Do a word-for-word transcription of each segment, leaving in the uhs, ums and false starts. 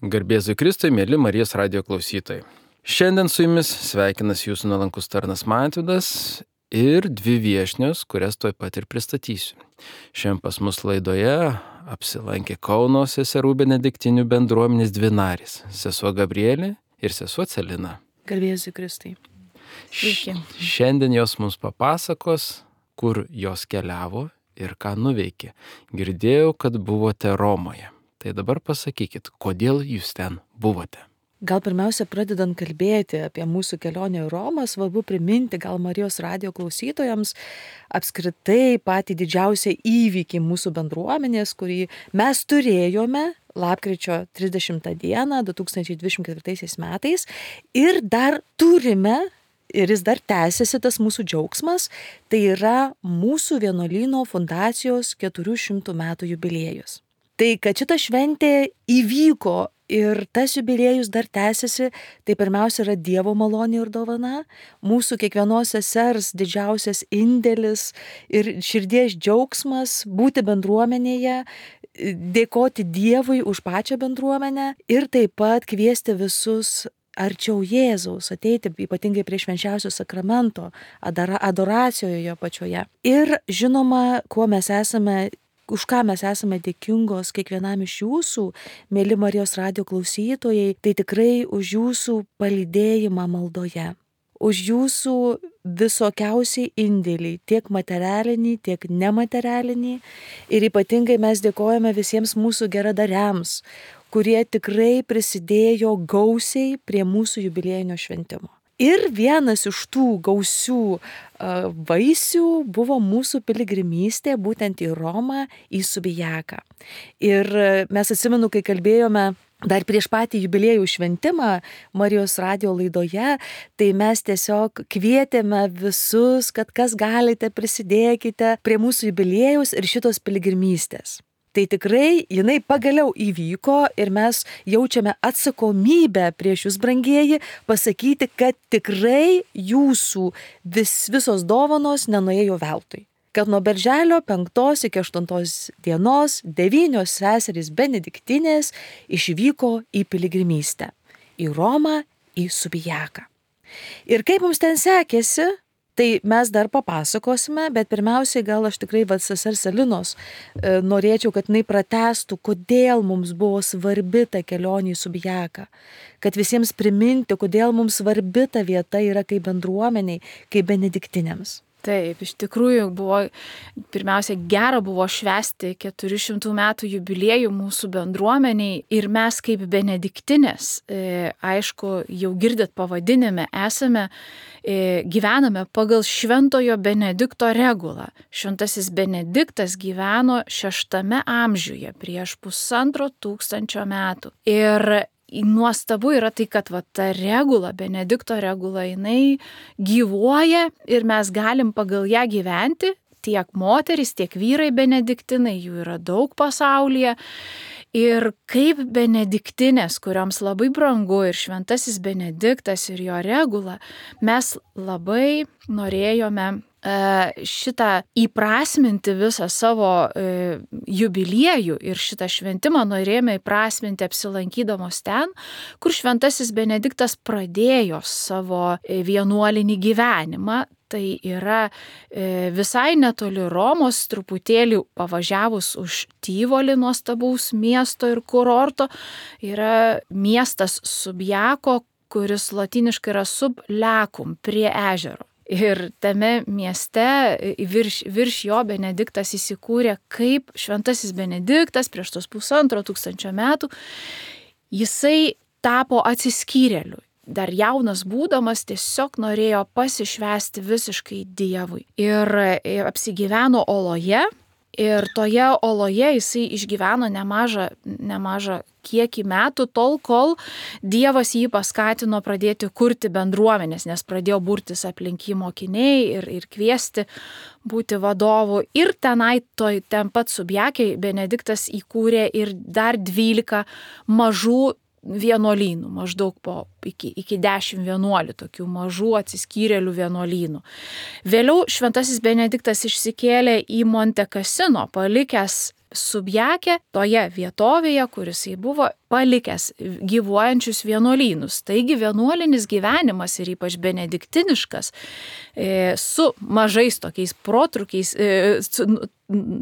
Garbėzui Kristui, mėly Marijos radijo klausytojai. Šiandien su jumis sveikinas jūsų nuolankus tarnas Mantvydas ir dvi viešnios, kurias tuoj pat ir pristatysiu. Šiandien pas mus laidoje apsilankė Kauno seserų benediktinių bendruomenės dvi narės - sesuo Gabrielė ir sesuo Celina. Garbėzui Kristui. Sveiki. Šiandien jos mums papasakos, kur jos keliavo ir ką nuveikė. Girdėjau, kad buvote Romoje. Tai dabar pasakykit, kodėl jūs ten buvote? Gal pirmiausia, pradedant kalbėti apie mūsų kelionę į Romą, svarbu priminti gal Marijos radijo klausytojams apskritai patį didžiausią įvykį mūsų bendruomenės, kurį mes turėjome lapkričio trisdešimtą dieną du tūkstančiai dvidešimt ketvirtaisiais metais ir dar turime, ir jis dar tęsiasi tas mūsų džiaugsmas, tai yra mūsų vienuolyno fundacijos keturių šimtų metų jubiliejus. Tai, kad šita šventė įvyko ir tas jubiliejus dar tęsiasi, tai pirmiausia yra Dievo malonė ir dovana, mūsų kiekvienos sesers didžiausias indėlis ir širdies džiaugsmas būti bendruomenėje, dėkoti Dievui už pačią bendruomenę ir taip pat kviesti visus arčiau Jėzaus, ateiti ypatingai prie švenčiausio sakramento, adoracijoje pačioje. Ir žinoma, kuo mes esame už ką mes esame dėkingos kiekvienam iš jūsų, mėly Marijos radijo klausytojai, tai tikrai už jūsų palydėjimą maldoje, už jūsų visokiausiai indėlį, tiek materialinį, tiek nematerialinį. Ir ypatingai mes dėkojame visiems mūsų geradariams, kurie tikrai prisidėjo gausiai prie mūsų jubiliejinio šventimo. Ir vienas iš tų gausių uh, vaisių buvo mūsų piligrimystė būtent į Romą, į Subijaką. Ir mes atsimenu, kai kalbėjome dar prieš patį jubiliejų šventimą Marijos radijo laidoje, tai mes tiesiog kvietėme visus, kad kas galite prisidėkite prie mūsų jubiliejaus ir šitos piligrimystės. Tai tikrai jinai pagaliau įvyko ir mes jaučiame atsakomybę prieš jūs, brangieji, pasakyti, kad tikrai jūsų vis, visos dovanos nenuėjo veltui. Kad nuo birželio penktos iki aštuntos dienos devynios seserys benediktinės išvyko į piligrimystę. Į Romą, į Subijaką. Ir kaip mums ten sekėsi, tai mes dar papasakosime, bet pirmiausiai gal aš tikrai va sesers Celinos e, norėčiau, kad jinai pratęstų, kodėl mums buvo svarbi ta kelionė į Subijaką. Kad visiems priminti, kodėl mums svarbi ta vieta yra kaip bendruomeniai, kaip benediktinėms. Taip, iš tikrųjų buvo, pirmiausia, gera buvo švęsti keturių šimtų metų jubiliejų mūsų bendruomeniai ir mes kaip benediktinės, e, aišku, jau girdit pavadinime, esame, e, gyvename pagal Šventojo Benedikto regulą. Šventasis Benediktas gyveno šeštame amžiuje prieš pusantro tūkstančio metų. Ir nuostabu yra tai, kad va, ta regula, Benedikto regula, jinai gyvuoja ir mes galim pagal ją gyventi, tiek moterys, tiek vyrai benediktinai, jų yra daug pasaulyje. Ir kaip benediktinės, kurioms labai brangu ir šventasis Benediktas ir jo regula, mes labai norėjome šitą įprasminti visą savo e, jubiliejų ir šitą šventimą norėjome įprasminti apsilankydamos ten, kur šventasis Benediktas pradėjo savo vienuolinį gyvenimą. Tai yra e, visai netoli Romos, truputėlį pavažiavus už Tyvolį nuostabaus miesto ir kurorto, yra miestas Subjako, kuris lotyniškai yra sublecum, prie ežero. Ir tame mieste virš, virš jo Benediktas įsikūrė kaip šventasis Benediktas prieš tos pusantro tūkstančio metų. Jisai tapo atsiskyrėliu. Dar jaunas būdamas tiesiog norėjo pasišvęsti visiškai Dievui. Ir apsigyveno oloje. Ir toje oloje jisai išgyveno nemažą, nemažą kiekį metų, tol kol Dievas jį paskatino pradėti kurti bendruomenės, nes pradėjo burtis aplink jį mokiniai ir, ir kviesti būti vadovu. Ir tenai, toj, ten pat Subjakiai Benediktas įkūrė ir dar dvylika mažų vienuolynų, maždaug po iki, iki dešimt vienuolių tokių mažų atsiskyrėlių vienuolynų. Vėliau šventasis Benediktas išsikėlė į Monte Cassino, palikęs Subjakę toje vietovėje, kuris jis buvo, palikęs gyvuojančius vienuolynus. Taigi vienuolinis gyvenimas ir ypač benediktiniškas su mažais tokiais protrukiais, su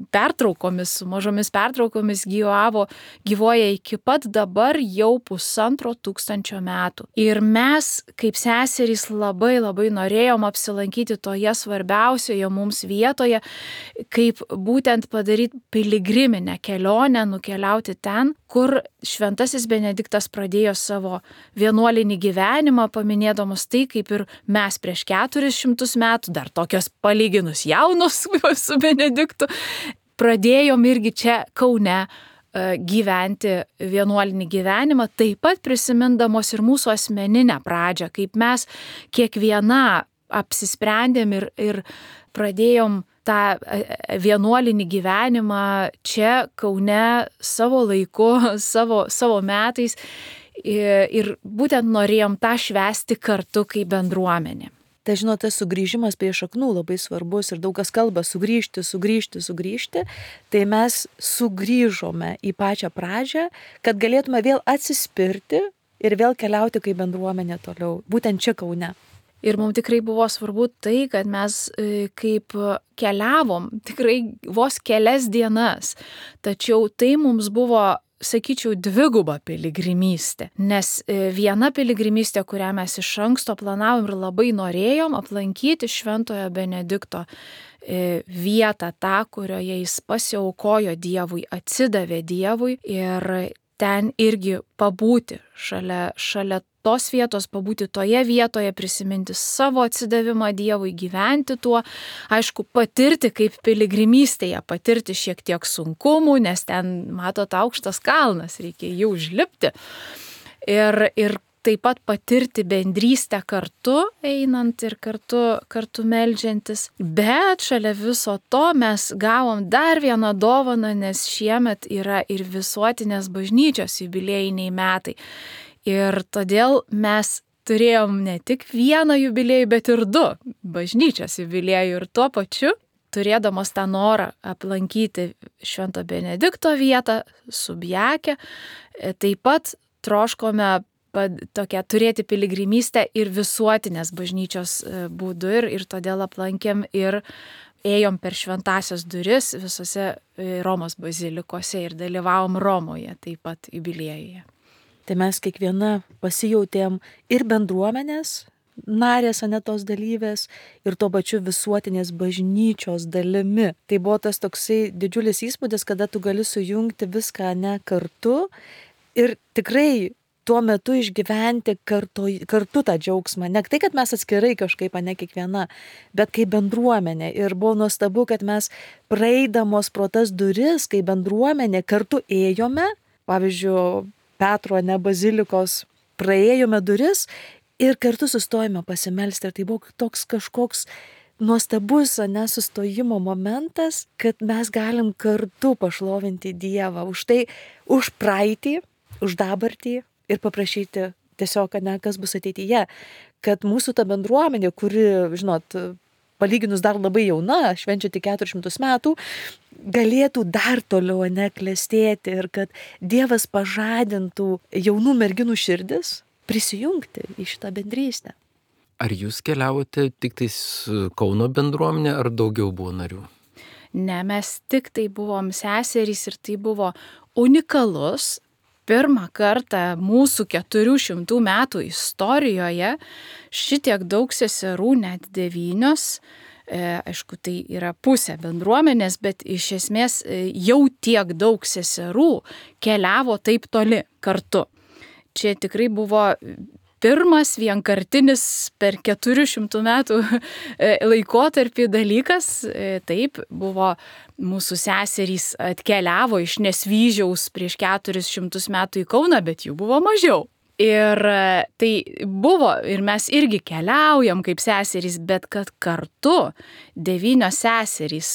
pertraukomis, su mažomis pertraukomis gyvavo, gyvoja iki pat dabar jau pusantro tūkstančio metų. Ir mes, kaip seserys, labai labai norėjom apsilankyti toje svarbiausioje mums vietoje, kaip būtent padaryti piligriminę kelionę, nukeliauti ten, kur šventasis Benediktas pradėjo savo vienuolinį gyvenimą, paminėdamas tai, kaip ir mes prieš keturis šimtus metų, dar tokios palyginus jaunos su Benediktu, pradėjom irgi čia Kaune gyventi vienuolinį gyvenimą, taip pat prisimindamos ir mūsų asmeninę pradžią, kaip mes kiekviena apsisprendėm ir, ir pradėjom tą vienuolinį gyvenimą čia Kaune savo laiku, savo, savo metais ir, ir būtent norėjom tą švęsti kartu kaip bendruomenė. Tai žinot, tas sugrįžimas prie šaknų labai svarbus ir daug kas kalba sugrįžti, sugrįžti, sugrįžti. Tai mes sugrįžome į pačią pradžią, kad galėtume vėl atsispirti ir vėl keliauti kaip bendruomenė toliau, būtent čia Kaune. Ir mums tikrai buvo svarbu tai, kad mes kaip keliavom tikrai vos kelias dienas, tačiau tai mums buvo, sakyčiau, dviguba piligrimystė, nes viena piligrimystė, kurią mes iš anksto planavom ir labai norėjom aplankyti Šventojo Benedikto vietą, tą, kurioje jis pasiaukojo Dievui, atsidavė Dievui ir ten irgi pabūti šalia, šalia tos vietos, pabūti toje vietoje, prisiminti savo atsidavimą Dievui, gyventi tuo, aišku, patirti kaip piligrimystėje, patirti šiek tiek sunkumų, nes ten, matot, aukštas kalnas, reikia jį užlipti. Ir, ir taip pat patirti bendrystę kartu, einant ir kartu, kartu meldžiantis. Bet šalia viso to mes gavom dar vieną dovaną, nes šiemet yra ir visuotinės bažnyčios jubiliejiniai metai. Ir todėl mes turėjom ne tik vieną jubiliejų, bet ir du bažnyčios jubiliejų. Ir tuo pačiu, turėdamos tą norą aplankyti Švento Benedikto vietą, Subjakę, taip pat troškome tokią turėti piligrimystę ir visuotinės bažnyčios būdu. Ir, ir todėl aplankėm ir ėjom per šventasias duris visose Romos bazilikose ir dalyvavom Romoje taip pat jubiliejuje. Tai mes kiekviena pasijautėm ir bendruomenės narės, ane tos dalyvės, ir tuo pačiu visuotinės bažnyčios dalimi. Tai buvo tas toksai didžiulis įspūdis, kada tu gali sujungti viską ne kartu ir tikrai tuo metu išgyventi kartu, kartu tą džiaugsmą. Ne tai, kad mes atskirai kažkaip, ne kiekviena, bet kaip bendruomenė. Ir buvo nuostabu, kad mes praeidamos pro tas duris, kaip bendruomenė, kartu ėjome, pavyzdžiui, Petro, ne bazilikos, praėjome duris ir kartu sustojome pasimelsti. Ir tai buvo toks kažkoks nuostabus, ne, sustojimo momentas, kad mes galim kartu pašlovinti Dievą už tai, už praeitį, už dabartį ir paprašyti tiesiog, ne, kas bus ateityje. Kad mūsų ta bendruomenė, kuri, žinot, palyginus dar labai jauna, švenčia tik keturis šimtus metų, galėtų dar toliau neklestėti ir kad Dievas pažadintų jaunų merginų širdis prisijungti į šitą bendrystę. Ar jūs keliavote tik tais Kauno bendruomenė, ar daugiau buvo narių? Ne, mes tik tai buvom seserys ir tai buvo unikalus. Pirmą kartą mūsų keturių šimtų metų istorijoje šitiek daug seserų, net devynios, e, aišku, tai yra pusė bendruomenės, bet iš esmės jau tiek daug seserų keliavo taip toli kartu. Čia tikrai buvo pirmas vienkartinis per keturių šimtų metų laikotarpį dalykas. Taip, buvo mūsų seserys atkeliavo iš Nesvyžiaus prieš keturis šimtus metų į Kauną, bet jų buvo mažiau. Ir tai buvo, ir mes irgi keliaujam kaip seserys, bet kad kartu devynios seserys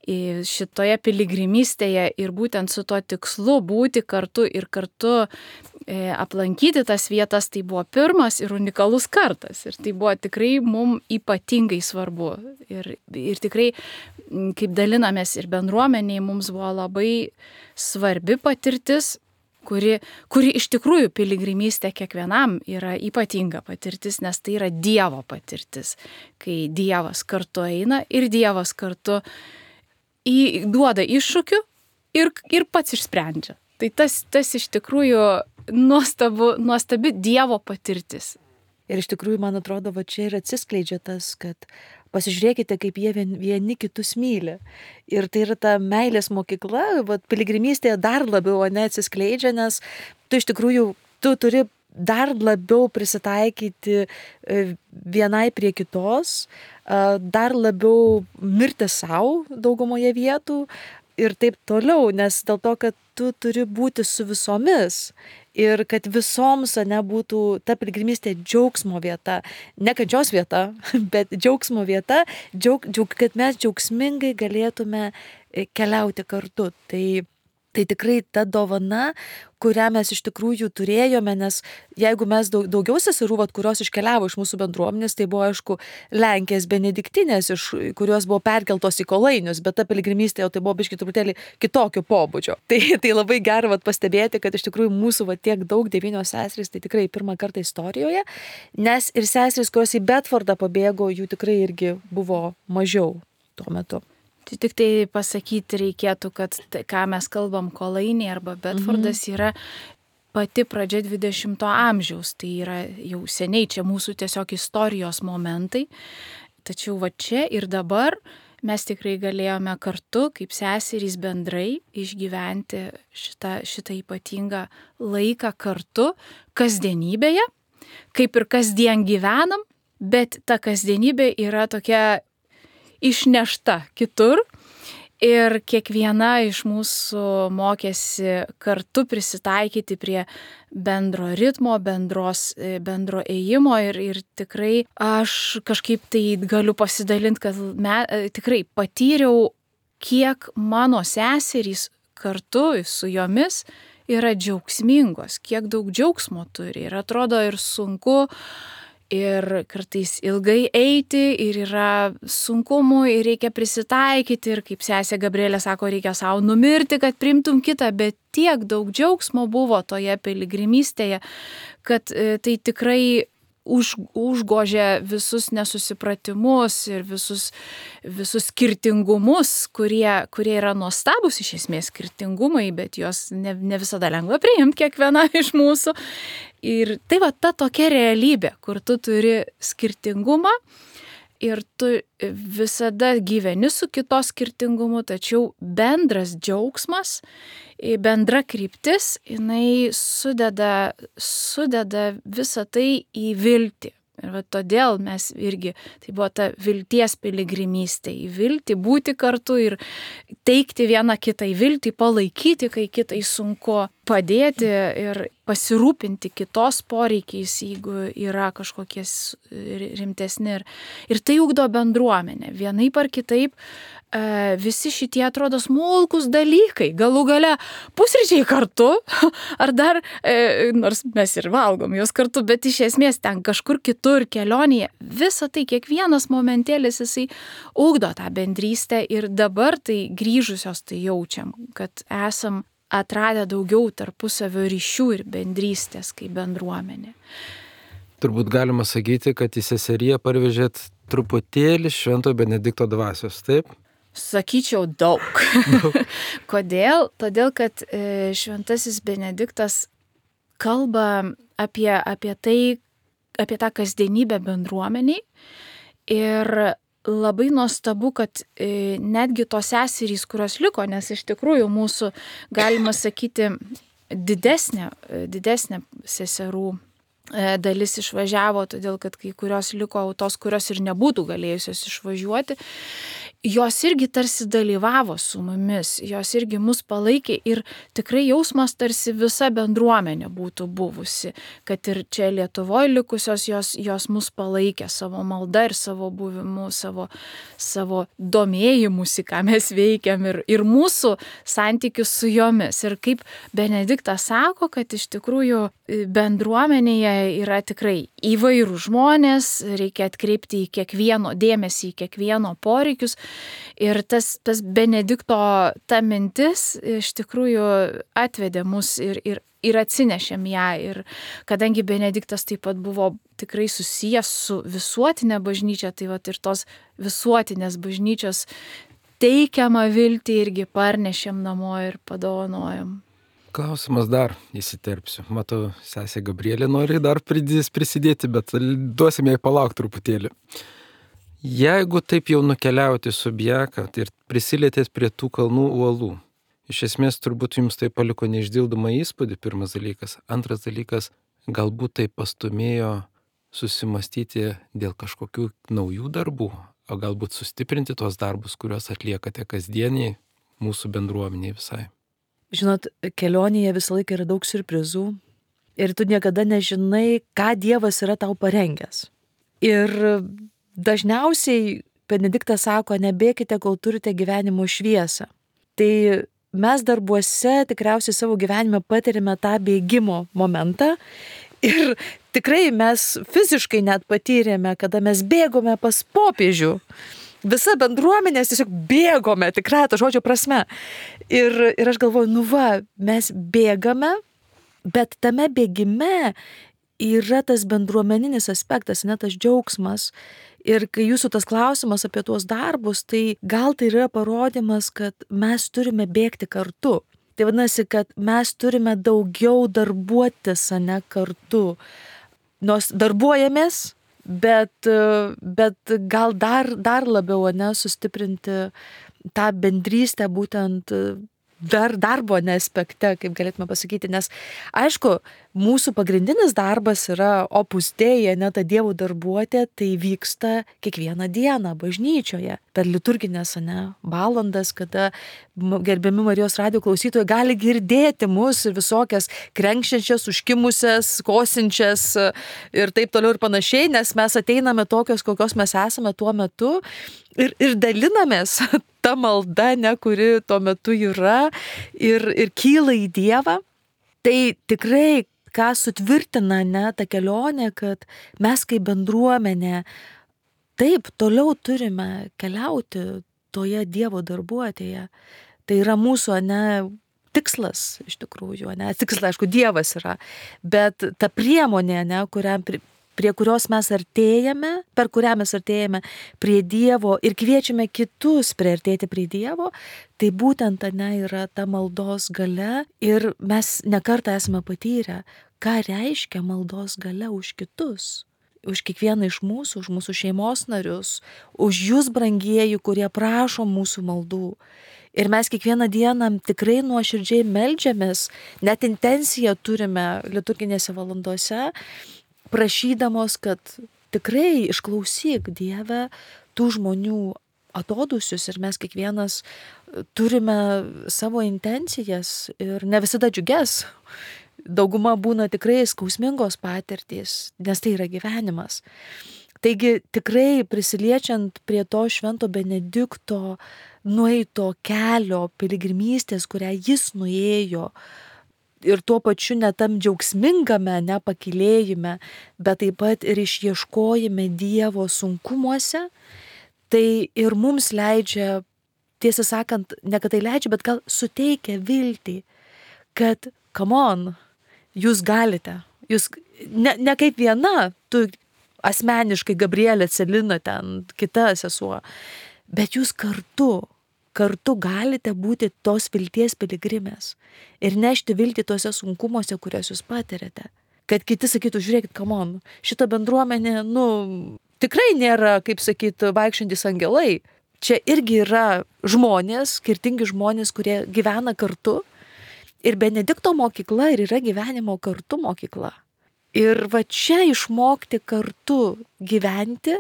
šitoje piligrimystėje ir būtent su tuo tikslu būti kartu ir kartu aplankyti tas vietas, tai buvo pirmas ir unikalus kartas. Ir tai buvo tikrai mums ypatingai svarbu. Ir, ir tikrai, kaip dalinamės ir bendruomeniai, mums buvo labai svarbi patirtis. kuri, kuri iš tikrųjų piligrimystė kiekvienam yra ypatinga patirtis, nes tai yra Dievo patirtis, kai Dievas kartu eina ir Dievas kartu į, duoda iššūkių ir, ir pats išsprendžia. Tai tas, tas iš tikrųjų nuostabu, nuostabi Dievo patirtis. Ir iš tikrųjų, man atrodo, va čia ir atsiskleidžia tas, kad pasižiūrėkite, kaip jie vien, vieni kitus myli. Ir tai yra ta meilės mokykla, va, piligrimystėje dar labiau neatsiskleidžia, nes tu iš tikrųjų, tu turi dar labiau prisitaikyti vienai prie kitos, dar labiau mirti savo daugumoje vietų ir taip toliau, nes dėl to, kad tu turi būti su visomis. Ir kad visoms nebūtų ta piligrimystė džiaugsmo vieta, ne kančios vieta, bet džiaugsmo vieta, džiaug, džiaug, kad mes džiaugsmingai galėtume keliauti kartu. Tai, tai tikrai ta dovana, kurią mes iš tikrųjų turėjome, nes jeigu mes daug, daugiau seserų, kurios iškeliavo iš mūsų bendruomenės, tai buvo, aišku, Lenkės benediktinės, iš kurios buvo perkeltos į Kolainius, bet ta piligrimystė jau tai buvo biškai truputėlį kitokio pobūdžio. Tai, tai labai gera vat, pastebėti, kad iš tikrųjų mūsų vat, tiek daug devynios seserys, tai tikrai pirmą kartą istorijoje, nes ir seserys, kurios į Bedfordą pabėgo, jų tikrai irgi buvo mažiau tuo metu. Tai tik tai pasakyti reikėtų, kad tai, ką mes kalbam Kolainiai arba Bedfordas, mhm. yra pati pradžia dvidešimto amžiaus. Tai yra jau seniai čia mūsų tiesiog istorijos momentai. Tačiau va čia ir dabar mes tikrai galėjome kartu, kaip seserys bendrai, išgyventi šitą, šitą ypatingą laiką kartu, kasdienybėje, kaip ir kasdien gyvenam, bet ta kasdienybė yra tokia išnešta kitur ir kiekviena iš mūsų mokėsi kartu prisitaikyti prie bendro ritmo, bendros, bendro ėjimo ir, ir tikrai aš kažkaip tai galiu pasidalinti, kad me, tikrai patyriau, kiek mano seserys kartu su jomis yra džiaugsmingos, kiek daug džiaugsmo turi ir atrodo ir sunku, ir kartais ilgai eiti, ir yra sunkumų, ir reikia prisitaikyti, ir kaip sesė Gabrielė sako, reikia savo numirti, kad priimtum kitą, bet tiek daug džiaugsmo buvo toje piligrimystėje, kad tai tikrai už, užgožia visus nesusipratimus ir visus, visus skirtingumus, kurie, kurie yra nuostabus iš esmės skirtingumai, bet juos ne, ne visada lengva priimti kiekviena iš mūsų. Ir tai va ta tokia realybė, kur tu turi skirtingumą ir tu visada gyveni su kitos skirtingumu, tačiau bendras džiaugsmas, bendra kryptis, jinai sudeda, sudeda visą tai į viltį. Ir va todėl mes irgi, tai buvo ta vilties piligrimystė, į viltį, būti kartu ir teikti vieną kitą į viltį, palaikyti, kai kitai sunku, padėti ir pasirūpinti kitos poreikiais, jeigu yra kažkokie rimtesni. Ir, ir tai ugdo bendruomenę. Vienaip ar kitaip visi šitie atrodo smulkus dalykai, galų gale pusryčiai kartu, ar dar, nors mes ir valgom jos kartu, bet iš esmės ten kažkur kitur kelionėje, visa tai, kiekvienas momentėlis jisai ugdo tą bendrystę ir dabar tai grįžusios tai jaučiam, kad esam atradę daugiau tarpusavio ryšių ir bendrystės kaip bendruomenė. Turbūt galima sakyti, kad į seseriją parvežėt truputėlį Švento Benedikto dvasios, taip? Sakyčiau daug. Kodėl? Todėl, kad Šventasis Benediktas kalba apie, apie tai, apie tą kasdienybę bendruomeniai ir labai nuostabu, kad netgi tos seserys, kurios liko, nes iš tikrųjų mūsų, galima sakyti, didesnė, didesnė seserų dalis išvažiavo, todėl kad kai kurios liko tos, kurios ir nebūtų galėjusios išvažiuoti, jos irgi tarsi dalyvavo su mumis, jos irgi mus palaikė ir tikrai jausmas tarsi visa bendruomenė būtų buvusi, kad ir čia Lietuvoje likusios jos, jos mus palaikė savo malda ir savo buvimu, savo, savo domėjimusi, ką mes veikiam ir, ir mūsų santykius su jomis. Ir kaip Benediktas sako, kad iš tikrųjų bendruomenėje yra tikrai įvairių žmonės, reikia atkreipti į kiekvieno dėmesį, į kiekvieno poreikius. Ir tas, tas Benedikto ta mintis iš tikrųjų atvedė mus ir, ir, ir atsinešėm ją. Ir kadangi Benediktas taip pat buvo tikrai susijęs su visuotinė bažnyčia, tai vat ir tos visuotinės bažnyčios teikiamą viltį irgi parnešėm namo ir padovanojom. Klausimas dar įsiterpsiu. Matau, sesė Gabrielė nori dar prisidėti, bet duosime jai palaukti truputėlį. Jeigu taip jau nukeliauti su Bjaka ir prisilietės prie tų kalnų uolų, iš esmės turbūt jums tai paliko neišdildomą įspūdį, pirmas dalykas. Antras dalykas, galbūt tai pastumėjo susimastyti dėl kažkokių naujų darbų, o galbūt sustiprinti tuos darbus, kuriuos atliekate kasdieniai mūsų bendruomeniai visai. Žinot, kelionėje visą laiką yra daug siurprizų ir tu niekada nežinai, ką Dievas yra tau parengęs. Ir dažniausiai Benediktas sako, nebėkite, kol turite gyvenimo šviesą. Tai mes darbuose tikriausiai savo gyvenime patirime tą bėgimo momentą ir tikrai mes fiziškai net patyrėme, kada mes bėgome pas popiežių. Visa bendruomenės tiesiog bėgome, tikrai to žodžio prasme. Ir, ir aš galvoju, nu va, mes bėgame, bet tame bėgime yra tas bendruomeninis aspektas, ne tas džiaugsmas. Ir kai jūsų tas klausimas apie tuos darbus, tai gal tai yra parodymas, kad mes turime bėgti kartu. Tai vadinasi, kad mes turime daugiau darbuotis, ne kartu. Nors darbuojamės, Bet, bet gal dar, dar labiau ne, sustiprinti tą bendrystę būtent dar darbo ne aspekte, kaip galėtume pasakyti, nes aišku, mūsų pagrindinis darbas yra opus dei, ne ta Dievo darbuotė, tai vyksta kiekvieną dieną bažnyčioje, per liturginės ne, valandas, kada gerbiami Marijos radijo klausytojai gali girdėti mus ir visokias krenkščiančias, užkimusias, kosinčias ir taip toliau ir panašiai, nes mes ateiname tokios, kokios mes esame tuo metu ir, ir dalinamės ta malda, ne, kuri tuo metu yra ir, ir kyla į Dievą. Tai tikrai, ką sutvirtina ne, ta kelionė, kad mes kaip bendruomenė taip toliau turime keliauti toje Dievo darbuotėje. Tai yra mūsų ne, tikslas iš tikrųjų, ne, tikslas, aišku, Dievas yra, bet ta priemonė, ne, kuriam prie kurios mes artėjame, per kurią mes artėjame prie Dievo ir kviečiame kitus priartėti prie Dievo, tai būtent ne, yra ta maldos galia ir mes nekartą esame patyrę, ką reiškia maldos galia už kitus, už kiekvieną iš mūsų, už mūsų šeimos narius, už jūs, brangieji, kurie prašo mūsų maldų. Ir mes kiekvieną dieną tikrai nuoširdžiai meldžiamės, net intenciją turime liturginėse valandose, prašydamos, kad tikrai išklausyk Dieve tų žmonių atodusius ir mes kiekvienas turime savo intencijas ir ne visada džiugias. Dauguma būna tikrai skausmingos patirtys, nes tai yra gyvenimas. Taigi tikrai prisiliečiant prie to švento Benedikto nueito kelio piligrimystės, kurią jis nuėjo, ir tuo pačiu ne tam džiaugsmingame, ne pakylėjime, bet taip pat ir išieškojime Dievo sunkumuose, tai ir mums leidžia, tiesą sakant, ne kad tai leidžia, bet gal suteikia viltį, kad, come on, jūs galite, jūs ne, ne kaip viena, tu asmeniškai Gabrielė, Celina, ten kita sesuo, bet jūs kartu, kartu galite būti tos vilties piligrimės ir nešti viltį tose sunkumuose, kurias jūs patirėte. Kad kiti sakytų, žiūrėkit, come on, šita bendruomenė, nu, tikrai nėra, kaip sakyt, vaikščiantys angelai. Čia irgi yra žmonės, skirtingi žmonės, kurie gyvena kartu. Ir Benedikto mokykla ir yra gyvenimo kartu mokykla. Ir va čia išmokti kartu gyventi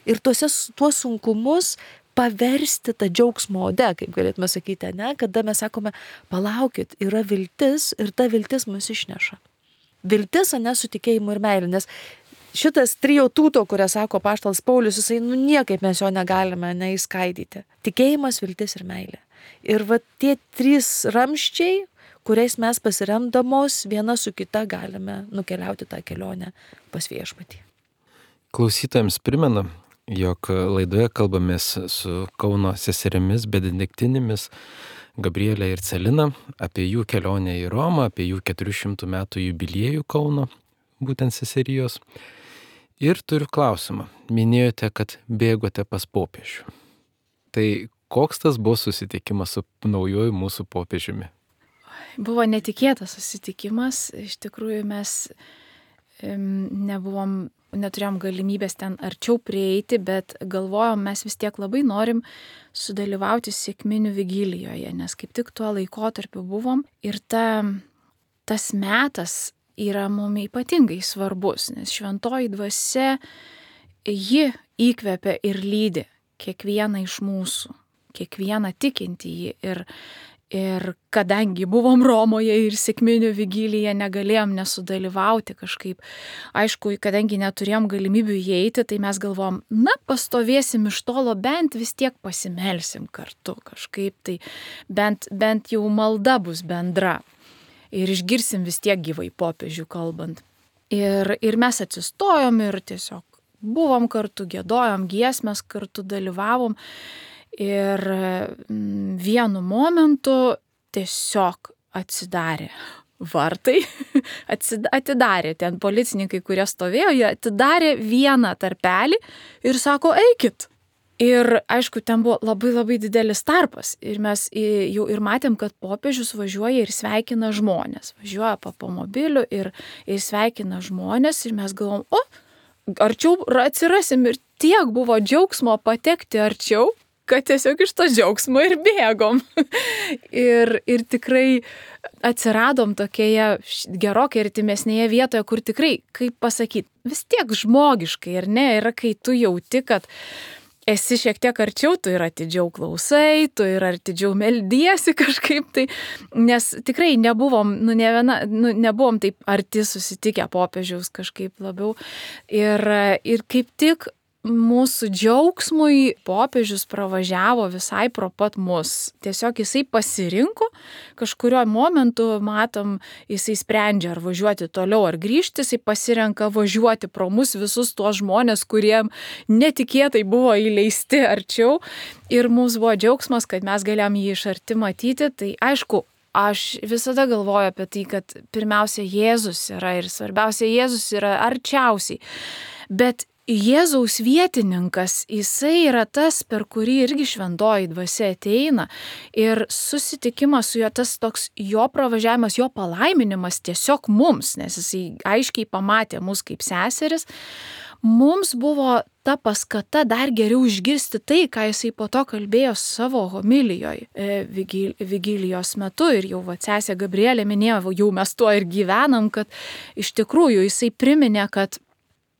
ir tuose, tuos sunkumus paversti tą džiaugsmo ode, kaip galėtume sakyti, ne? Kada mes sakome, palaukit, yra viltis ir ta viltis mus išneša. Viltis, ne, su tikėjimu ir meilė, nes šitas trio tūto, kurią sako apaštalas Paulius, jisai, nu niekaip mes jo negalime neįskaidyti. Tikėjimas, viltis ir meilė. Ir va tie trys ramščiai, kuriais mes pasiremdamos viena su kita galime nukeliauti tą kelionę pas Viešpatį. Klausytojams primenu, jog laidoje kalbamės su Kauno seserimis benediktinėmis Gabrielė ir Celina apie jų kelionę į Romą, apie jų keturių šimtų metų jubiliejų Kauno, būtent seserijos. Ir turiu klausimą. Minėjote, kad bėgote pas popiežių. Tai koks tas buvo susitikimas su naujoju mūsų popiežiumi? Buvo netikėtas susitikimas. Iš tikrųjų mes nebuvom, neturėjom galimybės ten arčiau prieiti, bet galvojom, mes vis tiek labai norim sudalyvauti sekminių vigilijoje, nes kaip tik tuo laikotarpiu buvom ir ta, tas metas yra mums ypatingai svarbus, nes šventoji dvasia, ji įkvepia ir lydi kiekvieną iš mūsų, kiekvieną tikintįjį. Ir, ir kadangi buvom Romoje ir sekminių vigiliją, negalėjom nesudalyvauti kažkaip. Aišku, kadangi neturėjom galimybių įeiti, tai mes galvom, na, pastovėsim iš tolo, bent vis tiek pasimelsim kartu kažkaip, tai bent, bent jau malda bus bendra. Ir išgirsim vis tiek gyvai popiežių kalbant. Ir, ir mes atsistojom ir tiesiog buvom kartu, giedojom giesmes, kartu dalyvavom. Ir vienu momentu tiesiog atsidarė vartai, atidarė ten policininkai, kurie stovėjo, jie atidarė vieną tarpelį ir sako, eikit. Ir aišku, ten buvo labai labai didelis tarpas ir mes jau ir matėm, kad popiežius važiuoja ir sveikina žmonės. Važiuoja po automobiliu ir, ir sveikina žmonės ir mes galvom, o, arčiau atsirasim ir tiek buvo džiaugsmo patekti arčiau, kad tiesiog iš to džiaugsmo ir bėgom. ir, ir tikrai atsiradom tokioje gerokai artimesnėje vietoje, kur tikrai, kaip pasakyti, vis tiek žmogiškai, ar ne, yra kai tu jauti, kad esi šiek tiek arčiau, tu ir atidžiau klausai, tu ir atidžiau meldiesi kažkaip tai, nes tikrai nebuvom, nu, ne viena, nu, nebuvom taip arti susitikę popiežiaus kažkaip labiau. Ir, ir kaip tik mūsų džiaugsmui popiežius pravažiavo visai pro pat mus. Tiesiog jisai pasirinko, kažkurio momentu matom, jisai sprendžia ar važiuoti toliau ar grįžti, jisai pasirenka važiuoti pro mus visus tuos žmonės, kurie netikėtai buvo įleisti arčiau. Ir mums buvo džiaugsmas, kad mes galėjom jį iš arti matyti. Tai aišku, aš visada galvoju apie tai, kad pirmiausia Jėzus yra ir svarbiausia Jėzus yra arčiausiai. Bet Jėzaus vietininkas, jisai yra tas, per kurį irgi šventoji dvasia ateina ir susitikimas su juo, tas toks jo pravažiavimas, jo palaiminimas tiesiog mums, nes jisai aiškiai pamatė mus kaip seseris, mums buvo ta paskata dar geriau išgirsti tai, ką jisai po to kalbėjo savo homilijoje vigil, vigilijos metu ir jau va, sesė Gabrielė minėjo, jau mes tuo ir gyvenam, kad iš tikrųjų jisai priminė, kad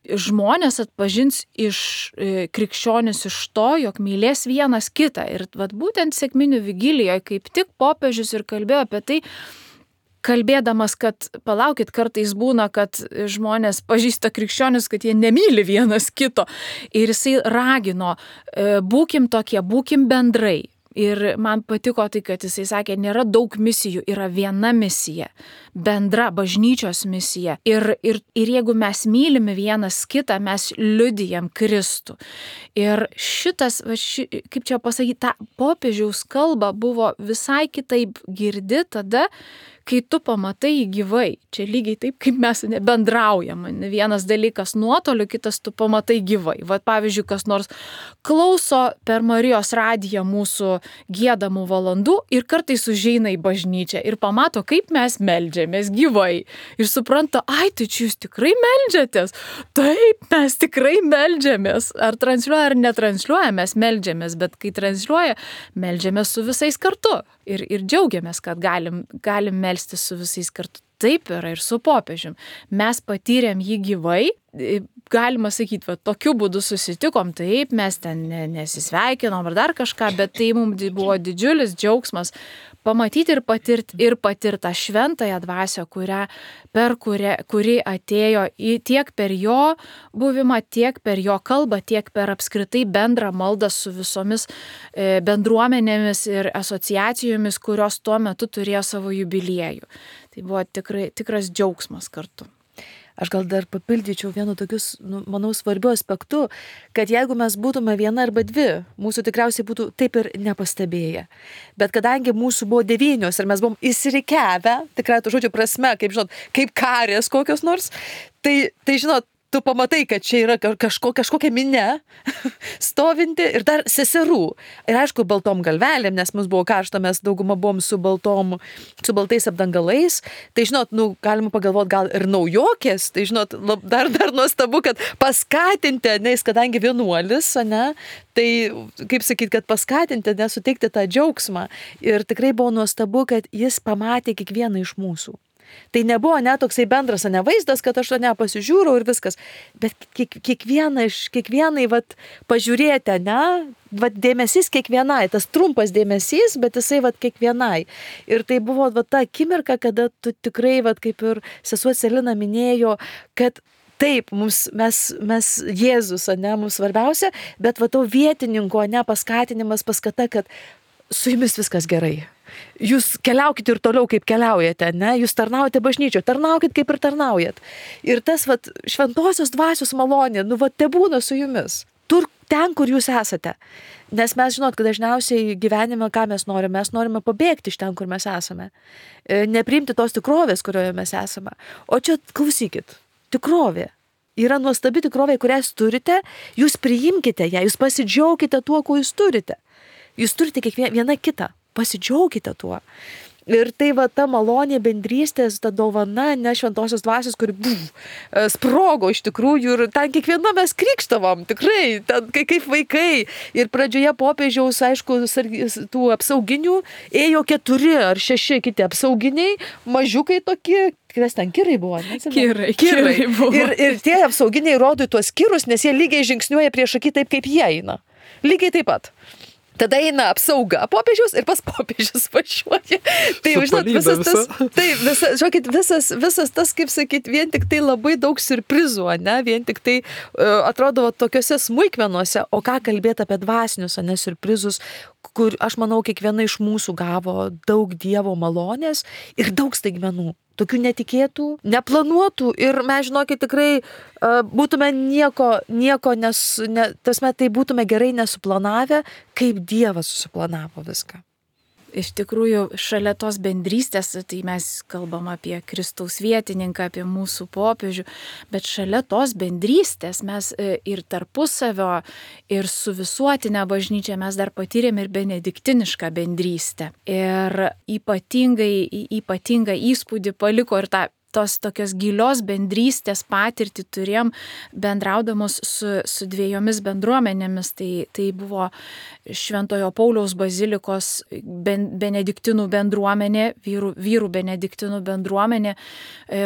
žmonės atpažins iš e, krikščionis iš to, jog mylės vienas kitą. Ir vat, būtent sekminių vigilijoje kaip tik popiežius ir kalbėjo apie tai, kalbėdamas, kad palaukit, kartais būna, kad žmonės pažįsta krikščionis, kad jie nemyli vienas kito. Ir jisai ragino, e, būkim tokie, būkim bendrai. Ir man patiko tai, kad jisai sakė, nėra daug misijų, yra viena misija, bendra bažnyčios misija. Ir, ir, ir jeigu mes mylime vienas kitą, mes liudijam Kristų. Ir šitas, va, ši, kaip čia pasakyti, ta popiežiaus kalba buvo visai kitaip girdi tada, kai tu pamatai jį gyvai. Čia lygiai taip, kaip mes bendraujam. Vienas dalykas nuotoliu, kitas tu pamatai gyvai. Vat pavyzdžiui, kas nors klauso per Marijos radiją mūsų giedamų valandų ir kartais užeina į bažnyčią ir pamato, kaip mes meldžiamės gyvai. Ir supranta, ai, tai čia jūs tikrai meldžiatės? Taip, mes tikrai meldžiamės. Ar transliuoja, ar netransliuoja, mes meldžiamės, bet kai transliuoja, meldžiamės su visais kartu. Ir, ir džiaugiamės, kad galim, galim melstis su visais kartu. Taip yra ir su popiežium. Mes patyrėm jį gyvai, galima sakyti, va, tokiu būdu susitikom, taip, mes ten nesisveikinom ar dar kažką, bet tai mums buvo didžiulis džiaugsmas pamatyti ir patirti ir patirti tą šventąją dvasią, kurią, per kurią, kuri atėjo į, tiek per jo buvimą, tiek per jo kalbą, tiek per apskritai bendrą maldą su visomis e, bendruomenėmis ir asociacijomis, kurios tuo metu turėjo savo jubiliejų. Tai buvo tikrai, tikras džiaugsmas kartu. Aš gal dar papildyčiau vienu tokius, nu, manau, svarbiu aspektu, kad jeigu mes būtume viena arba dvi, mūsų tikriausiai būtų taip ir nepastebėję. Bet kadangi mūsų buvo devynios ir mes buvom įsirikiavę, tikrai to žodžio prasme, kaip žinot, kaip karės kokios nors, tai, tai žinot, tu pamatai, kad čia yra kažko, kažkokia minia stovinti ir dar seserų. Ir aišku, baltom galvelėm, nes mums buvo karšta, mes daugumą buvom su baltom, su baltais apdangalais. Tai žinot, nu, galima pagalvoti gal ir naujokės. Tai žinot, lab, dar, dar nuostabu, kad paskatinti, nes kadangi vienuolis, ne, tai kaip sakyti, kad paskatinti, nesuteikti tą džiaugsmą. Ir tikrai buvo nuostabu, kad jis pamatė kiekvieną iš mūsų. Tai nebuvo net toksai bendras, ne vaizdas, kad aš to nepasižiūrau ir viskas, bet kiek, kiekvieną iš, kiekvienai, vat, pažiūrėti, ne, vat, dėmesys kiekvienai, tas trumpas dėmesys, bet jisai, vat, kiekvienai. Ir tai buvo, vat, ta akimirka, kada tu tikrai, vat, kaip ir sesuo Celina minėjo, kad taip, mums, mes, mes Jėzus, ne, mums svarbiausia, bet va, to vietininko, ne, paskatinimas, paskata, kad su jumis viskas gerai. Jūs keliaukite ir toliau, kaip keliaujate, ne? Jūs tarnaujate bažnyčioje, tarnaukit, kaip ir tarnaujat. Ir tas, vat, šventosios dvasios malonė, nu, vat, tebūna su jumis. Tur, ten, kur jūs esate. Nes mes žinot, kad dažniausiai gyvenime, ką mes norime, mes norime pabėgti iš ten, kur mes esame. Nepriimti tos tikrovės, kurioje mes esame. O čia, klausykit, tikrovė. Yra nuostabi tikrovė, kurią jūs turite, jūs priimkite ją, jūs pasidžiaukite tuo, ko jūs turite. Jūs turite kiekvieną kitą. Pasidžiaukite tuo. Ir tai va ta malonė bendrystės, ta dovana, ne šventosios dvasios, kuri buf, sprogo iš tikrųjų ir ten kiekviena mes krikštavom, tikrai, ten kaip vaikai. Ir pradžioje popiežiaus, aišku, tų apsauginių ėjo keturi ar šeši kiti apsauginiai, mažiukai tokie, kas ten kirai buvo, ne? Kirai, kirai buvo. Ir, ir tie apsauginiai rodo tuos kirus, nes jie lygiai žingsniuoja prieš akį taip, kaip jie eina. Lygiai taip pat. Tada eina apsauga popiežiaus ir pas popiežius važiuoja. Tai, žinot, visas tas, tai, visa, žinokit, visas, visas tas, kaip sakyt, vien tik tai labai daug siurprizų, ne? Vien tik tai uh, atrodo tokiuose smulkmenuose, o ką kalbėti apie dvasinius, ne, siurprizus, kur, aš manau, kiekviena iš mūsų gavo daug Dievo malonės ir daug staigmenų. Tokių netikėtų, neplanuotų ir mes, žinokit, tikrai uh, būtume nieko, nieko nes, ne, tasme, tai būtume gerai nesuplanavę, kaip Dievas susiplanavo viską. Iš tikrųjų, šalia tos bendrystės, tai mes kalbam apie Kristaus vietininką, apie mūsų popiežių, bet šalia tos bendrystės mes ir tarpusavio, ir su visuotinė bažnyčia mes dar patyrėm ir benediktinišką bendrystę. Ir ypatingai, ypatingą įspūdį paliko ir tą tos tokios gilios bendrystės patirtį turėjom bendraudamos su, su dviejomis bendruomenėmis. Tai, tai buvo Šventojo Pauliaus bazilikos ben, benediktinų bendruomenė, vyrų, vyrų benediktinų bendruomenė,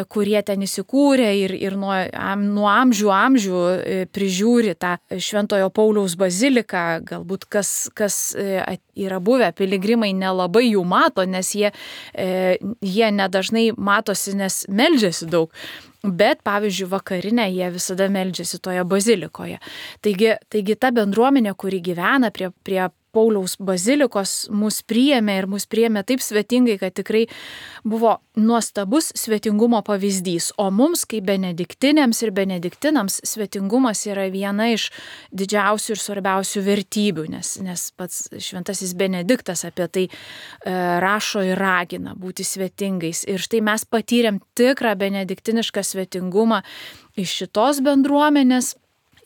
kurie ten įsikūrė ir, ir nuo, am, nuo amžių amžių prižiūri tą Šventojo Pauliaus baziliką. Galbūt kas, kas yra buvę piligrimai nelabai jų mato, nes jie, jie nedažnai matosi, nes meldžiasi daug, bet pavyzdžiui vakarinę jie visada meldžiasi toje bazilikoje. Taigi, taigi ta bendruomenė, kuri gyvena prie, prie Pauliaus bazilikos, mus priėmė ir mus priėmė taip svetingai, kad tikrai buvo nuostabus svetingumo pavyzdys. O mums, kaip benediktinėms ir benediktinams, svetingumas yra viena iš didžiausių ir svarbiausių vertybių, nes, nes pats šventasis Benediktas apie tai e, rašo ir ragina būti svetingais. Ir štai mes patyrėm tikrą benediktinišką svetingumą iš šitos bendruomenės.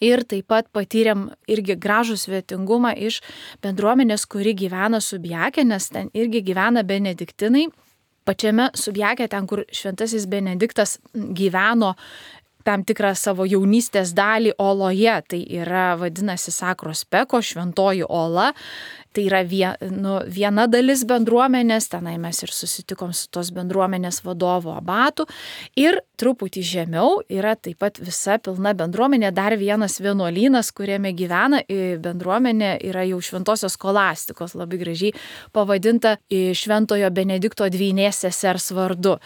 Ir taip pat patyrėm irgi gražų svetingumą iš bendruomenės, kuri gyvena Subjake, nes ten irgi gyvena benediktinai. Pačiame Subjake, ten, kur šventasis Benediktas gyveno tam tikrą savo jaunystės dalį oloje, tai yra vadinasi Sakros Peko, šventoji ola, tai yra vie, nu, viena dalis bendruomenės, tenai mes ir susitikom su tos bendruomenės vadovu abatu ir truputį žemiau yra taip pat visa pilna bendruomenė, dar vienas vienuolynas, kuriame gyvena bendruomenė, yra jau šventosios skolastikos, labai gražiai pavadinta šventojo Benedikto dvynės sesers vardu.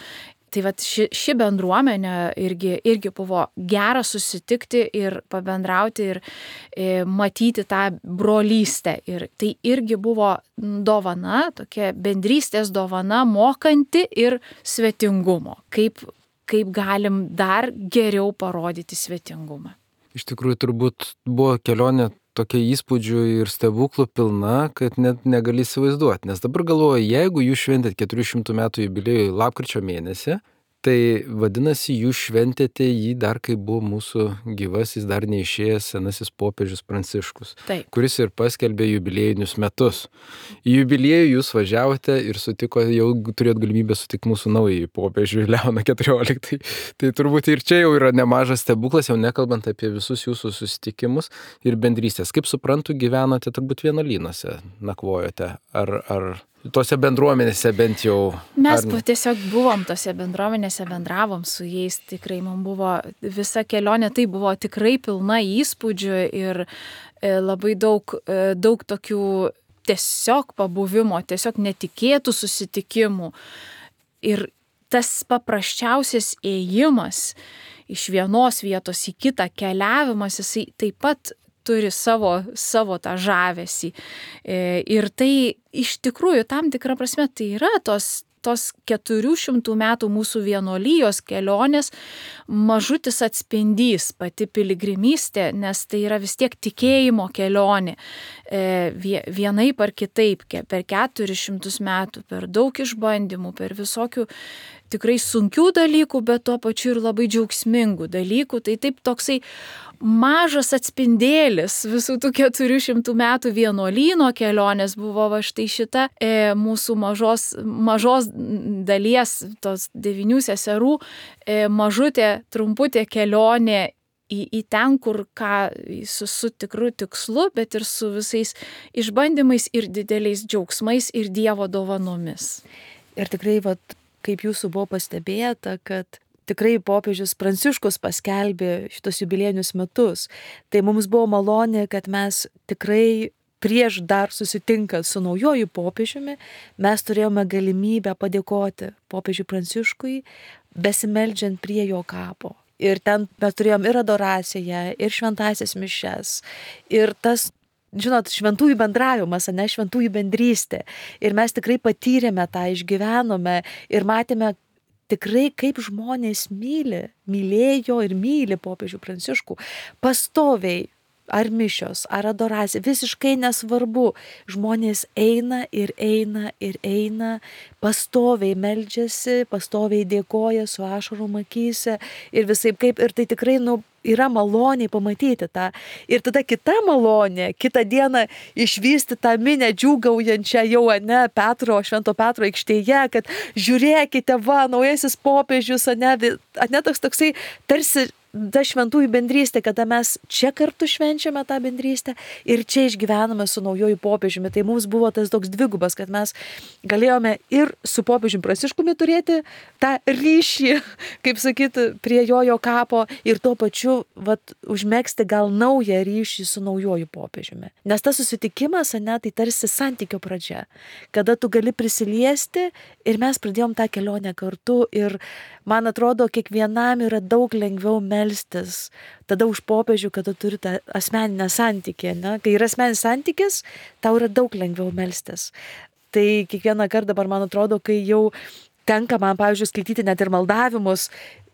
Tai vat ši, ši bendruomenė irgi, irgi buvo gera susitikti ir pabendrauti ir e, matyti tą brolystę. Ir tai irgi buvo dovana, tokia bendrystės dovana, mokanti ir svetingumo. Kaip, kaip galim dar geriau parodyti svetingumą. Iš tikrųjų, turbūt buvo kelionė tokia įspūdžių ir stebuklų pilna, kad net negali įsivaizduoti. Nes dabar galvoju, jeigu jūs šventėt keturių šimtų metų jubiliejų lapkričio mėnesį, tai vadinasi, jūs šventėte jį dar, kai buvo mūsų gyvasis, dar neišėjęs senasis popiežius Pranciškus, Taip. kuris ir paskelbė jubiliejinius metus. Į jubiliejų jūs važiavote ir sutiko, jau turėjot galimybę sutikti mūsų naująjį popiežių Leoną keturioliktąjį. Tai turbūt ir čia jau yra nemažas stebuklas, jau nekalbant apie visus jūsų susitikimus ir bendrystės. Kaip suprantu, gyvenote turbūt vienuolynuose, nakvojote, ar... ar tose bendruomenėse bent jau. Mes ar... tiesiog buvom tose bendruomenėse, bendravom su jais, tikrai mums buvo visa kelionė, tai buvo tikrai pilna įspūdžių ir labai daug, daug tokių tiesiog pabuvimo, tiesiog netikėtų susitikimų. Ir tas paprasčiausias ėjimas iš vienos vietos į kitą, keliavimas, jisai taip pat turi savo, savo tą žavesį. Ir tai iš tikrųjų tam tikrą prasme tai yra tos, tos keturių šimtų metų mūsų vienuolijos kelionės mažutis atspindys, pati piligrimystė, nes tai yra vis tiek tikėjimo kelionė. Vienaip ar kitaip, per keturis šimtus metų, per daug išbandymų, per visokių tikrai sunkių dalykų, bet tuo pačiu ir labai džiaugsmingų dalykų. Tai taip toksai mažas atspindėlis visų tų keturių šimtų metų vienuolyno kelionės buvo va štai šita e, mūsų mažos, mažos dalies, tos devynių seserų, e, mažutė, trumputė kelionė į, į ten, kur ką su, su tikru tikslu, bet ir su visais išbandymais ir dideliais džiaugsmais ir Dievo dovanomis. Ir tikrai, vat, kaip jūsų buvo pastebėta, kad tikrai popiežius Pranciškus paskelbė šitos jubiliejinius metus. Tai mums buvo malonė, kad mes tikrai prieš dar susitinkant su naujoju popiežiumi, mes turėjome galimybę padėkoti popiežiui Pranciškui, besimeldžiant prie jo kapo. Ir ten mes turėjom ir adoraciją, ir šventąsias mišias, ir tas, žinot, šventųjų bendravimas, ne šventųjų bendrystė. Ir mes tikrai patyrėme tą, išgyvenome ir matėme tikrai, kaip žmonės myli, mylėjo ir myli popiežių Pranciškų. Pastoviai, ar mišios, ar adoracija, visiškai nesvarbu. Žmonės eina ir eina ir eina, pastoviai meldžiasi, pastoviai dėkoja su ašarom akyse ir visaip kaip. Ir tai tikrai, nu, yra maloniai pamatyti tą. Ir tada kita malonė, kitą dieną išvysti tą minę džiūgaujančią jau, ne, Petro, Švento Petro aikštėje, kad žiūrėkite, va, naujasis popiežius, ne, ne toks toksai tarsi ta šventųjų bendrystė, kada mes čia kartu švenčiame tą bendrystę ir čia išgyvename su naujoju popiežiumi. Tai mums buvo tas toks dvigubas, kad mes galėjome ir su popiežiumi Pranciškumi turėti tą ryšį, kaip sakyti, prie jojo kapo ir tuo pačiu vat, užmegzti gal naują ryšį su naujoju popiežiumi. Nes tas susitikimas, ne, tai tarsi santykio pradžia, kada tu gali prisiliesti ir mes pradėjom tą kelionę kartu ir man atrodo, kiekvienam yra daug lengviau melstis tada už popiežių, kada turi tą asmeninę santykį. Ne? Kai yra asmeninis santykis, tau yra daug lengviau melstis. Tai kiekvieną kartą dabar, man atrodo, kai jau tenka man, pavyzdžiui, skaityti net ir maldavimus,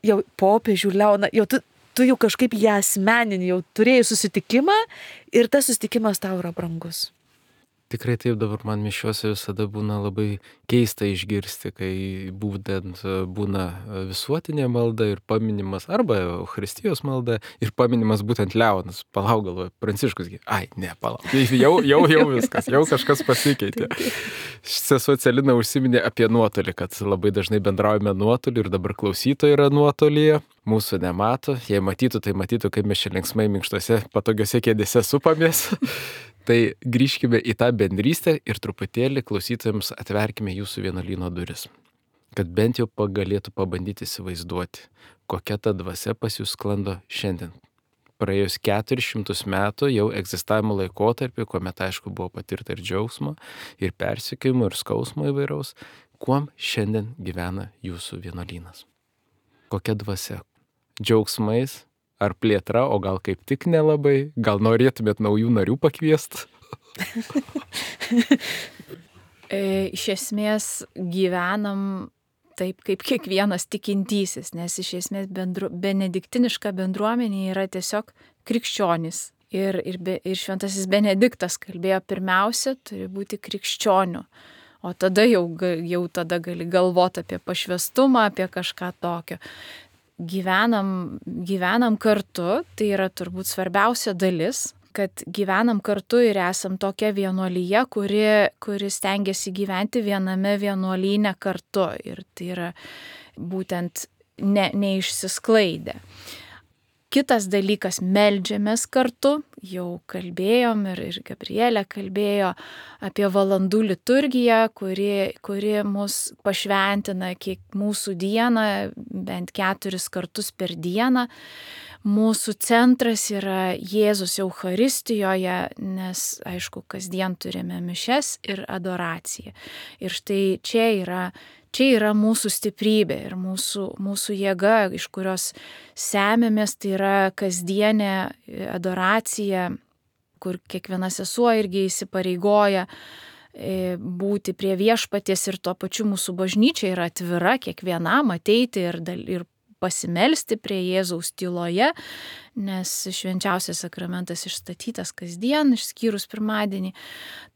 jau popiežių Leoną, jau tu, tu jau kažkaip ją asmeninį, jau turėjai susitikimą ir tas susitikimas tau yra brangus. Tikrai taip, dabar man mišiuose visada būna labai keista išgirsti, kai būtent būna visuotinė malda ir paminimas, arba Eucharistijos malda ir paminimas būtent Leonas. Palauk, galvoju, Pranciškus, ai, ne, palauk, jau, jau, jau viskas, jau kažkas pasikeitė. Sesuo Celina užsiminė apie nuotolį, kad labai dažnai bendraujame nuotolį ir dabar klausytojai yra nuotolyje. Mūsų nemato, jei matytų, tai matytų, kaip mes čia linksmai minkštose, patogiose kėdėse supamės. Tai grįžkime į tą bendrystę ir truputėlį klausytojams atverkime jūsų vienuolyno duris. Kad bent jau galėtų pabandyti įsivaizduoti, kokia ta dvasia pas jūs sklando šiandien. Praėjus keturis šimtus metų jau egzistavimo laikotarpį, kuomet aišku buvo patirta ir džiaugsmo, ir persekiojimo, ir skausmo įvairaus, kuom šiandien gyvena jūsų vienuolynas. Kokia dvasia? Džiaugsmais? Ar plėtra, o gal kaip tik nelabai? Gal norėtumėt naujų narių pakviesti? Iš esmės gyvenam taip, kaip kiekvienas tikintysis, nes iš esmės bendru, benediktiniška bendruomenė yra tiesiog krikščionys. Ir, ir, be, ir šventasis Benediktas kalbėjo, pirmiausia, turi būti krikščionių. O tada jau, jau tada gali galvoti apie pašvestumą, apie kažką tokio. Gyvenam, gyvenam kartu, tai yra turbūt svarbiausia dalis, kad gyvenam kartu ir esam tokia vienuolyje, kuri, kuri stengiasi gyventi viename vienuolyne kartu. Ir tai yra būtent ne, neišsisklaidę. Kitas dalykas, meldžiamės kartu, jau kalbėjom ir, ir Gabrielė kalbėjo apie valandų liturgiją, kuri, kuri mus pašventina kiek mūsų dieną, bent keturis kartus per dieną. Mūsų centras yra Jėzus Eucharistijoje, nes, aišku, kasdien turime mišes ir adoraciją. Ir štai čia yra Čia yra mūsų stiprybė ir mūsų, mūsų jėga, iš kurios semiamės, tai yra kasdienė adoracija, kur kiekviena sesuo irgi įsipareigoja būti prie viešpaties ir tuo pačiu mūsų bažnyčia yra atvira kiekvienam ateiti ir, ir pasimelsti prie Jėzaus tyloje, nes švenčiausias sakramentas išstatytas kasdien, išskyrus pirmadienį.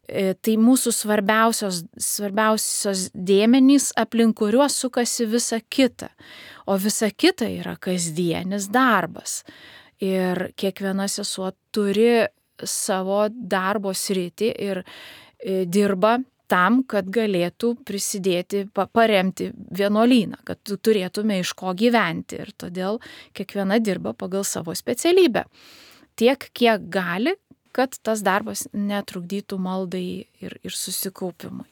Tai mūsų svarbiausios, svarbiausios dėmenys, aplink kuriuos sukasi visa kita. O visa kita yra kasdienis darbas. Ir kiekviena sesuo turi savo darbo sritį ir dirba tam, kad galėtų prisidėti, paremti vienuolyną, kad turėtume iš ko gyventi. Ir todėl kiekviena dirba pagal savo specialybę. Tiek, kiek gali, kad tas darbas netrukdytų maldai ir, ir susikaupimui.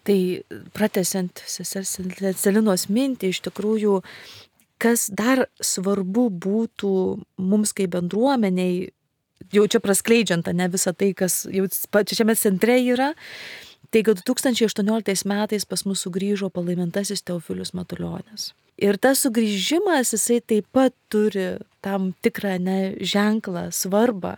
Tai pratęsiant sesers Celinos mintį, iš tikrųjų, kas dar svarbu būtų mums kaip bendruomeniai, jau čia praskleidžiant, ne visą tai, kas jau pačiame centre yra, tai kad du tūkstančiai aštuonioliktais metais pas mus sugrįžo palaimintasis Teofilius Matulionis. Ir tas sugrįžimas, jisai taip pat turi tam tikrą ne, ženklą, svarbą,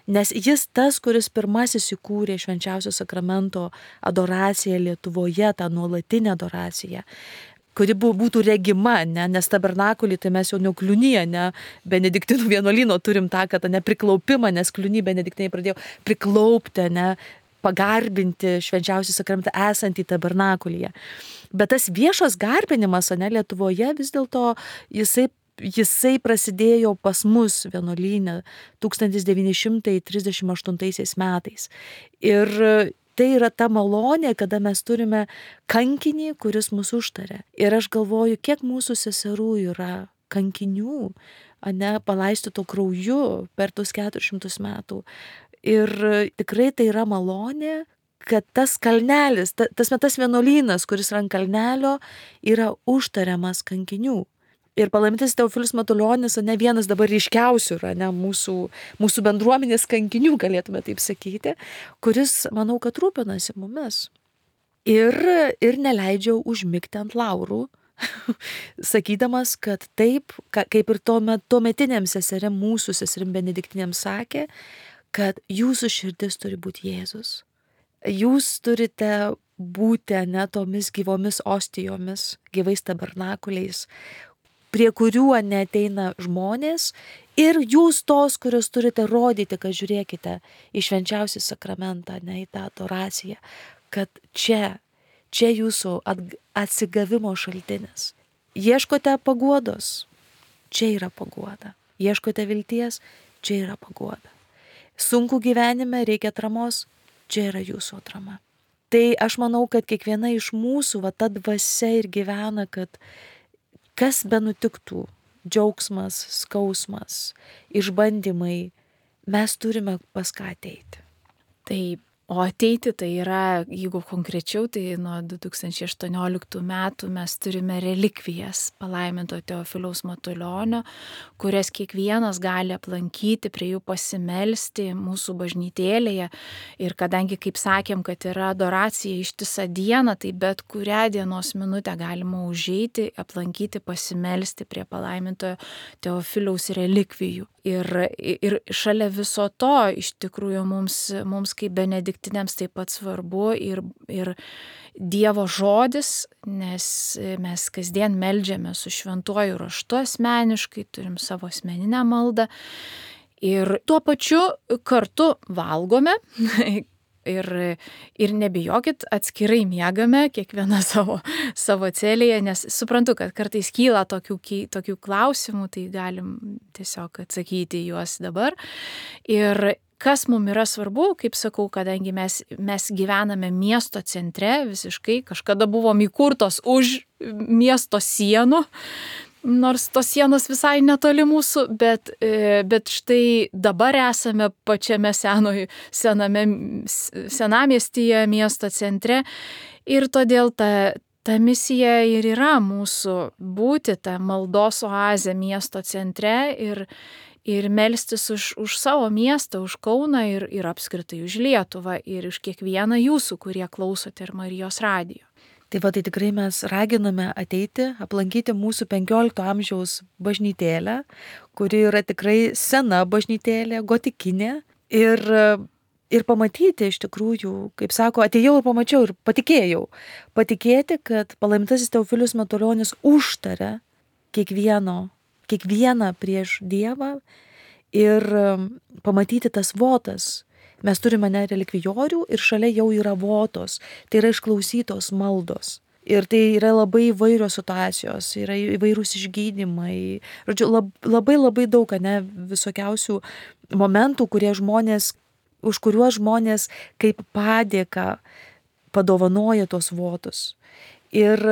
nes jis tas, kuris pirmasis įkūrė švenčiausio sakramento adoraciją Lietuvoje, tą nuolatinę adoraciją, kuri būtų regima, ne, nes tabernakulį tai mes jau nekliunyje, ne, benediktinų vienuolyno turim tą, kad nepriklaupimą, nes kliuny benediktiniai pradėjo priklaupti, ne, pagarbinti švenčiausią sakramentą esantį tabernakulyje. Bet tas viešas garbinimas, ne, Lietuvoje vis dėlto jisai, jisai prasidėjo pas mus vienuolyne tūkstantis devyni šimtai trisdešimt aštuntaisiais metais. Ir tai yra ta malonė, kada mes turime kankinį, kuris mus užtaria. Ir aš galvoju, kiek mūsų seserų yra kankinių, ane, palaistyto krauju per tus keturis šimtus metų. Ir tikrai tai yra malonė, kad tas kalnelis, ta, tas metas vienuolynas, kuris yra ant kalnelio, yra užtariamas kankinių. Ir palaimintasis Teofilius Matulionis, ne vienas dabar ryškiausių yra, ne, mūsų, mūsų bendruomenės kankinių, galėtume taip sakyti, kuris, manau, kad rūpinasi mumis. Ir, ir neleidžia užmigti ant laurų, sakydamas, kad taip, kaip ir tuometiniam seserim, mūsų seserim benediktinėm sakė, kad jūsų širdis turi būti Jėzus. Jūs turite būti, ne, tomis gyvomis ostijomis, gyvais tabernakuliais, prie kurių neateina žmonės Ir jūs tos, kurios turite rodyti, kad žiūrėkite į švenčiausią sakramentą, ne į tą adoraciją, kad čia, čia jūsų atsigavimo šaltinis. Ieškote paguodos, čia yra paguoda. Ieškote vilties, čia yra paguoda. Sunku gyvenime, reikia atramos, čia yra jūsų atrama. Tai aš manau, kad kiekviena iš mūsų, va ta dvasia ir gyvena, kad kas be nutiktų, džiaugsmas, skausmas, išbandymai, mes turime pas ką ateiti. Taip, o ateiti tai yra, jeigu konkrečiau, tai nuo du tūkstančiai aštuonioliktų metų mes turime relikvijas palaiminto Teofiliaus Matulionio, kurias kiekvienas gali aplankyti, prie jų pasimelsti mūsų bažnytėlėje. Ir kadangi, kaip sakėm, kad yra adoracija ištisą dieną, tai bet kurią dienos minutę galima užeiti, aplankyti, pasimelsti prie palaimintojo Teofiliaus relikvijų. Ir, ir šalia viso to, iš tikrųjų, mums, mums kaip benediktiniams taip pat svarbu ir, ir Dievo žodis, nes mes kasdien meldžiame su šventuoju raštu asmeniškai, turim savo asmeninę maldą ir tuo pačiu kartu valgome. Ir, ir nebijokit, atskirai miegame, kiekviena savo, savo celėje, nes suprantu, kad kartais kyla tokių, tokių klausimų, tai galim tiesiog atsakyti juos dabar. Ir kas mums yra svarbu, kaip sakau, kadangi mes, mes gyvename miesto centre visiškai, kažkada buvom įkurtos už miesto sienų, nors tos sienos visai netoli mūsų, bet, bet štai dabar esame pačiame senoje, sename, senamiestyje, miesto centre ir todėl ta, ta misija ir yra mūsų būti ta maldos oazė miesto centre ir, ir melstis už, už savo miestą, už Kauną ir, ir apskritai už Lietuvą ir už kiekvieną jūsų, kurie klausote ir Marijos radijo. Tai va, tai tikrai mes raginame ateiti, aplankyti mūsų penkiolikto amžiaus bažnytėlę, kuri yra tikrai sena bažnytėlė, gotikinė. Ir, ir pamatyti iš tikrųjų, kaip sako, atėjau ir pamačiau ir patikėjau. Patikėti, kad palaimintasis Teofilius Matulionis užtaria kiekvieno, kiekvieną prieš Dievą ir pamatyti tas votas. Mes turime ne relikvijorių ir šalia jau yra votos, tai yra išklausytos maldos. Ir tai yra labai įvairios situacijos, yra įvairūs išgydymai. Žodžiu, lab, labai labai daug, ne, visokiausių momentų, kurie žmonės, už kuriuos žmonės kaip padėką padovanoja tos votus. Ir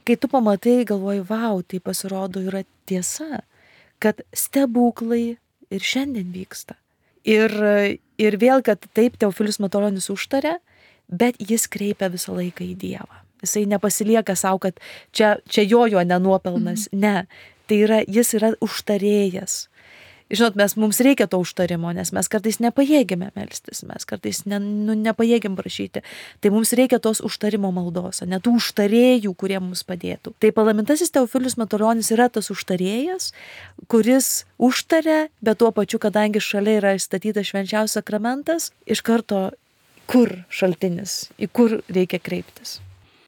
kai tu pamatai, galvoji, vau, tai pasirodo yra tiesa, kad stebuklai ir šiandien vyksta. Ir, ir vėl, kad taip Teofilius Matulionis užtaria, bet jis kreipia visą laiką į Dievą. Jisai nepasilieka savo, kad čia, čia jo jo nenuopelnas. Mhm. Ne, tai yra, jis yra užtarėjas. Žinot, mes, mums reikia to užtarimo, nes mes kartais nepajėgime melstis, mes kartais ne, nu, nepajėgim prašyti. Tai mums reikia tos užtarimo maldos, ne tų užtarėjų, kurie mums padėtų. Tai palaimintasis Teofilius Matulionis yra tas užtarėjas, kuris užtaria, bet tuo pačiu, kadangi šalia yra įstatytas švenčiausias sakramentas, iš karto kur šaltinis, į kur reikia kreiptis.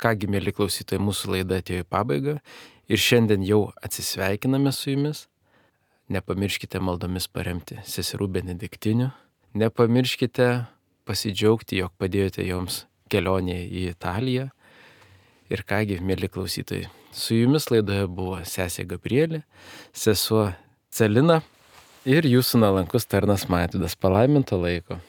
Kągi, mėly klausytojai, mūsų laida atėjo į pabaigą ir šiandien jau atsisveikiname su jumis. Nepamirškite maldomis paremti seserų benediktinių. Nepamirškite pasidžiaugti, jog padėjote joms kelionėje į Italiją. Ir kągi, mėly klausytojai, su jumis laidoje buvo sesė Gabrielė, sesuo Celina ir jūsų nuolankus tarnas Maitvydas. Palaiminto laiko.